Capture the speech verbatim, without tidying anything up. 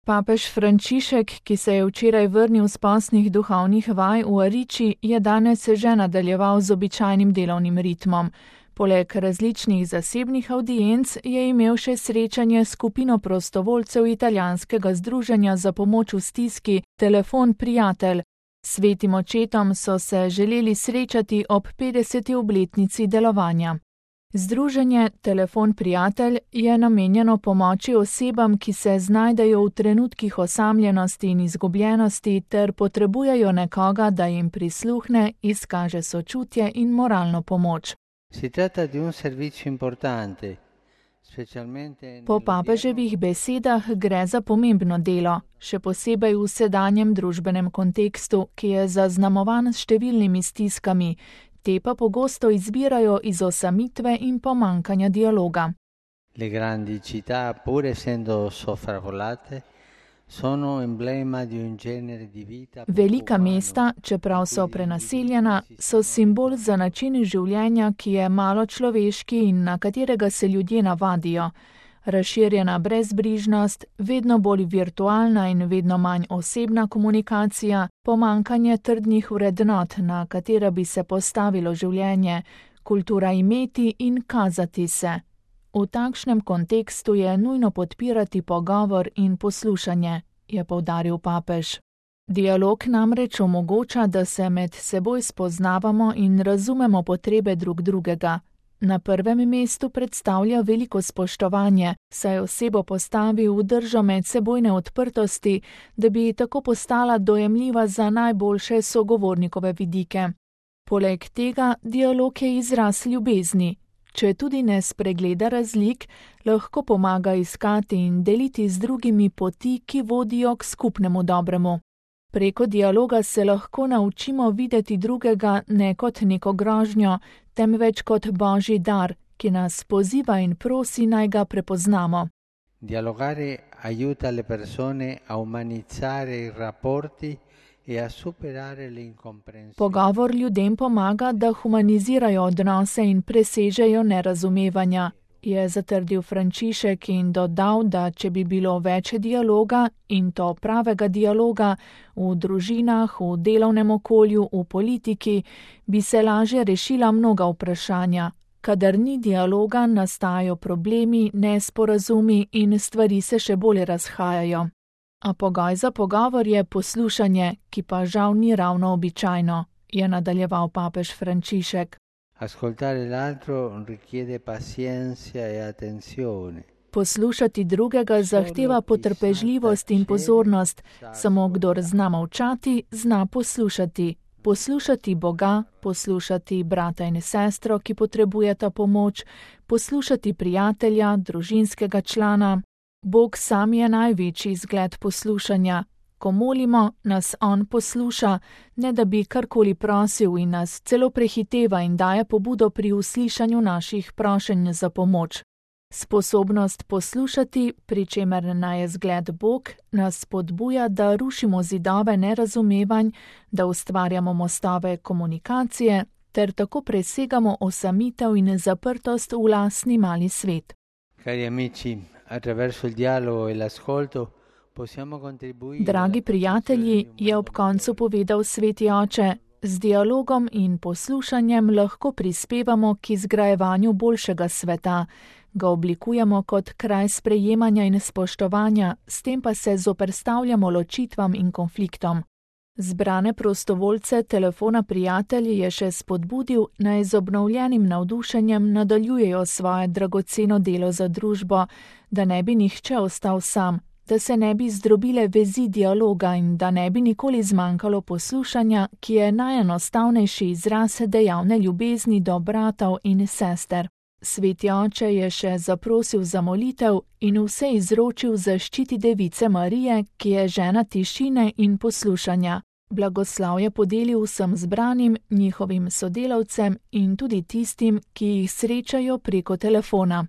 Papež Frančišek, ki se je včeraj vrnil s postnih duhovnih vaj v Ariči, je danes že nadaljeval z običajnim delovnim ritmom. Poleg različnih zasebnih avdienc je imel še srečanje s skupino prostovoljcev italijanskega združenja za pomoč v stiski Telefon prijatelj. Svetim očetom so se želeli srečati ob petdeseti obletnici delovanja. Združenje Telefon prijatelj je namenjeno pomoči osebam, ki se znajdejo v trenutkih osamljenosti in izgubljenosti ter potrebujejo nekoga, da jim prisluhne, izkaže sočutje in moralno pomoč. Si tratta di un servizio importante. Po papeževih besedah gre za pomembno delo, še posebej v sedanjem družbenem kontekstu, ki je zaznamovan s številnimi stiskami, te pa pogosto izvirajo iz osamitve in pomanjkanja dialoga. Le grandi città, pur essendo sovraffollate, sono emblema di un genere di vita. Velika mesta, čeprav so prenaseljena, so simbol za način življenja, ki je malo človeški in na katerega se ljudje navadijo. Razširjena brezbrižnost, vedno bolj virtualna in vedno manj osebna komunikacija, pomanjkanje trdnih vrednot, na katera bi se postavilo življenje, kultura imeti in kazati se. V takšnem kontekstu je nujno podpirati pogovor in poslušanje, je poudaril papež. Dialog namreč omogoča, da se med seboj spoznavamo in razumemo potrebe drug drugega. Na prvem mestu predstavlja veliko spoštovanje, saj osebo postavi v držo medsebojne odprtosti, da bi tako postala dojemljiva za najboljše sogovornikove vidike. Poleg tega dialog je izraz ljubezni. Če tudi ne spregleda razlik, lahko pomaga iskati in deliti z drugimi poti, ki vodijo k skupnemu dobremu. Preko dialoga se lahko naučimo videti drugega ne kot neko grožnjo, temveč kot božji dar, ki nas poziva in prosi, naj ga prepoznamo. Dialogare aiuta le persone a umanizzare i rapporti e a superare le incomprensioni. Pogovor ljudem pomaga, da humanizirajo odnose in presežejo nerazumevanja, je zatrdil Frančišek in dodal, da če bi bilo več dialoga, in to pravega dialoga, v družinah, v delovnem okolju, v politiki, bi se lažje rešila mnoga vprašanja. Kadar ni dialoga, nastajajo problemi, nesporazumi in stvari se še bolj razhajajo. A pogoj za pogovor je poslušanje, ki pa žal ni ravno običajno, je nadaljeval papež Frančišek. Ascoltare l'altro richiede pazienza e attenzione. Poslušati drugega zahteva potrpežljivost in pozornost, samo kdor zna molčati, zna poslušati. Poslušati Boga, poslušati brata in sestro, ki potrebujeta pomoč, poslušati prijatelja, družinskega člana. Bog sam je največji zgled poslušanja. Ko molimo, nas on posluša, ne da bi karkoli prosil in nas celo prehiteva in daje pobudo pri uslišanju naših prošenj za pomoč. Sposobnost poslušati, pri čemer naj je zgled Bog, nas spodbuja, da rušimo zidove nerazumevanj, da ustvarjamo mostove komunikacije, ter tako presegamo osamitev in zaprtost v lastni mali svet. Cari amici, attraverso il dialogo e l'ascolto, Dragi prijatelji, je ob koncu povedal sveti oče, z dialogom in poslušanjem lahko prispevamo k izgrajevanju boljšega sveta, ga oblikujemo kot kraj sprejemanja in spoštovanja, s tem pa se zoperstavljamo ločitvam in konfliktom. Zbrane prostovoljce Telefona prijatelj je še spodbudil, naj z obnovljenim navdušenjem nadaljujejo svoje dragoceno delo za družbo, da ne bi nihče ostal sam, da se ne bi zdrobile vezi dialoga in da ne bi nikoli zmanjkalo poslušanja, ki je najenostavnejši izraz dejavne ljubezni do bratov in sester. Sveti oče je še zaprosil za molitev in vse izročil zaščiti Device Marije, ki je žena tišine in poslušanja. Blagoslav je podelil vsem zbranim, njihovim sodelavcem in tudi tistim, ki jih srečajo preko telefona.